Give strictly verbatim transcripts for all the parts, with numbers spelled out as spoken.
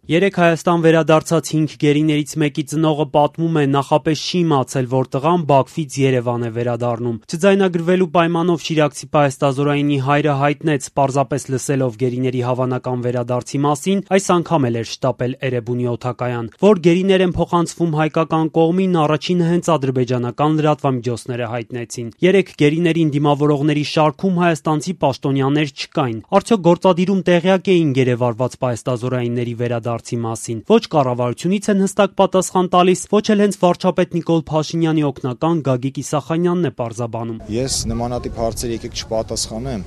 Երեկ Հայաստան վերադարձած հինգ գերիներից մեկի ծնողը պատմում է, նախապես չի իմացել, որ տղան Բաքվից Երևան է վերադառնում։ Չձայնագրվելու պայմանով շիրակցի պահեստազորայինի հայրը հայտնեց, պարզապես լսելով գերիների հավանական վերադարձի մասին, այս անգամ էլ էր շտապել Էրեբունի օդակայան, որ գերիներ են փոխանցվում հայկական կողմին, առաջինը հենց ադրբեջանական լրատվամիջոցները հայտնեցին։ Երեք գերիներին դիմավորողների շարքում հայաստանցի պաշտոնյաներ չկային։ Արդյոք գործադիրում տեղյակ էին գերեվարված պահեստազորայինների վերադարձի մասին։ Ոչ կառավարությունից են հստակ պատասխան տալիս, ոչ էլ հենց վարչապետ Նիկոլ Փաշինյանի օգնական Գագիկ Իսախանյանն է պարզաբանում։ Ես նմանատիպ հարցեր եկեք չպատասխանեմ,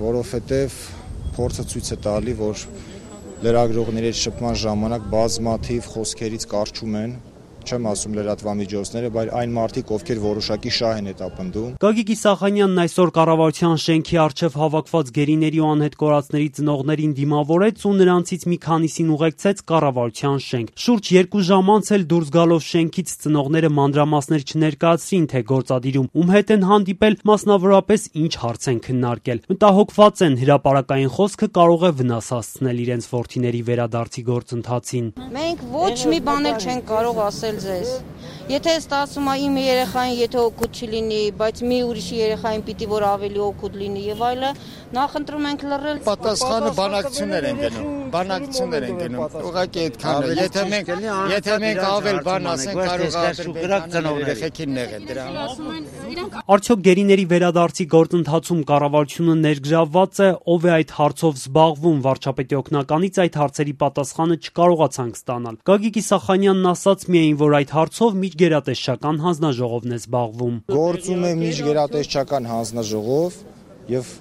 որովհետև փորձը ցույց է տալի, որ լրագրողների հետ շփման ժամանակ բազմաթիվ խոսքերից կարճում են, չեմ ասում լրատվամիջոցները, բայց այն մարդիկ, ովքեր որոշակի շահ են հետապնդում։ Գագիկ Իսախանյանն այսօր կառավարության շենքի առջև հավաքված գերիների ու անհետ կորածների ծնողներին դիմավորեց ու նրանցից մի քանիսին ուղեկցեց կառավարության շենք։ Շուրջ երկու ժամ անց էլ դուրս գալով շենքից ծնողները մանրամասներ չներկայացրին, թե գործադիրում ում հետ են հանդիպել, մասնավորապես ինչ հարց են քննարկել։ Մտահոգված են, հրապարակային խոսքը կարող է վնաս հասցնել իրենց որդիների վերադարձի գործընթացին։ Մենք ոչ մի բան էլ չենք կարող ասել ձեզ։ Եթե ստացվում է իմ երեխային, եթե օգուտ չլինի, բայց մի ուրիշի երեխային պիտի որ ավելի օգուտ լինի եւ այլը, նախընտրում ենք լռել։ Պատասխանը բանակցություններ են գնում, բանակցություններ են գնում։ Ուղղակի այդքան է։ Եթե մենք, եթե մենք ավել բան ասենք, կարող է ադրբեջանցիները երեխեքին նեղեն դրա համար։ Արդյոք գերիների վերադարձի գործընթացում կառավարությունը ներգրավված է, ով է այդ հարցով զբաղվում, վարչապետի օգնականից այդ հարցերի պատասխանը չկարողացանք ստանալ։ Գագիկ Իսախանյանն ասաց միայն, որ այդ հարցով միջգերատեսչական հանձնաժողովն է զբաղվում։ Գործում է միջգերատեսչական հանձնաժողով եւ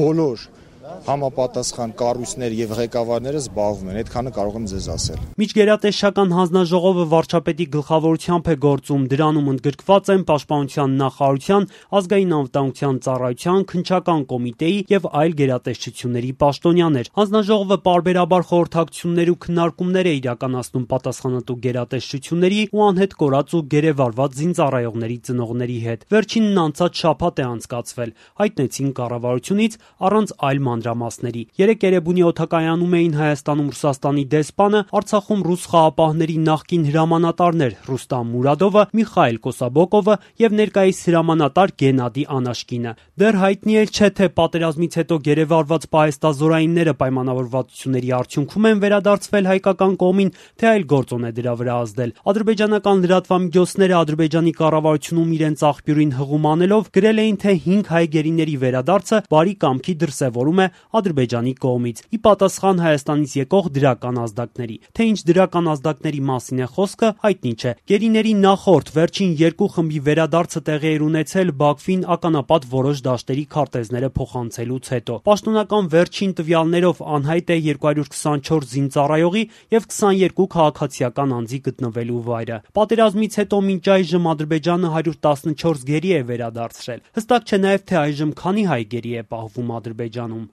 բոլոր համապատասխան կառույցներ եւ ղեկավարները զբաղվում են, այդքանը կարող եմ ձեզ ասել։ Միջգերատեսչական հանձնաժողովը վարչապետի գլխավորությամբ է գործում, դրանում ընդգրկված են Պաշտպանության նախարարության, Ազգային անվտանգության ծառայության, Քննչական կոմիտեի եւ այլ գերատեսչությունների պաշտոնյաներ։ Հանձնաժողովը պարբերաբար խորհրդակցություններ ու քննարկումներ է իրականացնում պատասխանատու գերատեսչությունների ու անհետ կորած ու գերեվարված զինծառայողների ծնողների հետ։ Վերջինն անցած շաբաթ է անցկացվել, հայտնեցին կառավարությունից առանց այլ մանրամասների։ Երեկ Էրեբունի օդակայանում էին Հայաստանում Ռուսաստանի դեսպանը, Արցախում ռուս խաղապահների նախկին հրամանատարներ Ռուստամ Մուրադովը, Միխայել Կոսաբոկովը եւ ներկայիս հրամանատար Գենադի Անաշկինը։ Դեռ հայտնի էլ չէ, թե պատերազմից հետո գերեվարված պահեստազորայինները պայմանավորվածությունների արդյունքում են վերադարձվել հայկական կողմին, թե այլ գործոն է դրա վրա ազդել։ Ադրբեջանական լրատվամիջոցները Ադրբեջանի կառավարությունում իրենց աղբյուրին հղում անելով գրել էին, թե հինգ հայ գերիների վերադարձը բարի կամքի դրսևորում է Ադրբեջանի կողմից՝ ի պատասխան Հայաստանից եկող դրական ազդակների։ Թե ինչ դրական ազդակների մասին է խոսքը, հայտնի չէ։ Գերիների նախորդ վերջին երկու խմբի վերադարձը տեղի էր ունեցել Բաքվին ականապատ որոշ դաշտերի քարտեզները փոխանցելուց հետո։ Պաշտոնական վերջին տվյալներով անհայտ է երկու հարյուր քսանչորս զինծառայողի եւ քսաներկու քաղաքացիական անձի գտնվելու վայրը։ Պատերազմից հետո մինչ այժմ Ադրբեջանը հարյուր տասնչորս գերի է վերադարձրել։ Հստակ չէ նաեւ, թե այժմ քանի հայ գերի է պահվում Ադրբեջանում։